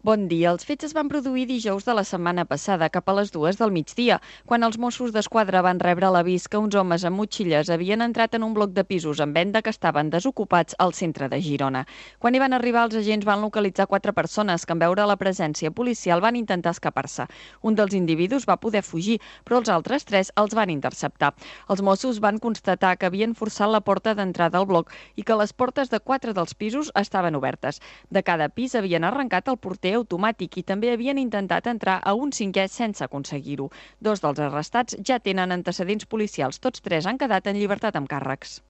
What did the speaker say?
Bon dia. Els fets es van produir dijous de la setmana passada, cap a les 2 del migdia, quan els Mossos d'Esquadra van rebre l'avís que uns homes amb motxilles havien entrat en un bloc de pisos en venda que estaven desocupats al centre de Girona. Quan hi van arribar, els agents van localitzar 4 persones que, en veure la presència policial, van intentar escapar-se. Un dels individus va poder fugir, però els altres 3 els van interceptar. Els Mossos van constatar que havien forçat la porta d'entrada al bloc i que les portes de 4 dels pisos estaven obertes. De cada pis havien arrencat el porter automàtic i també havien intentat entrar a un 5è sense aconseguir-ho. 2 dels arrestats ja tenen antecedents policials. Tots 3 han quedat en llibertat amb càrrecs.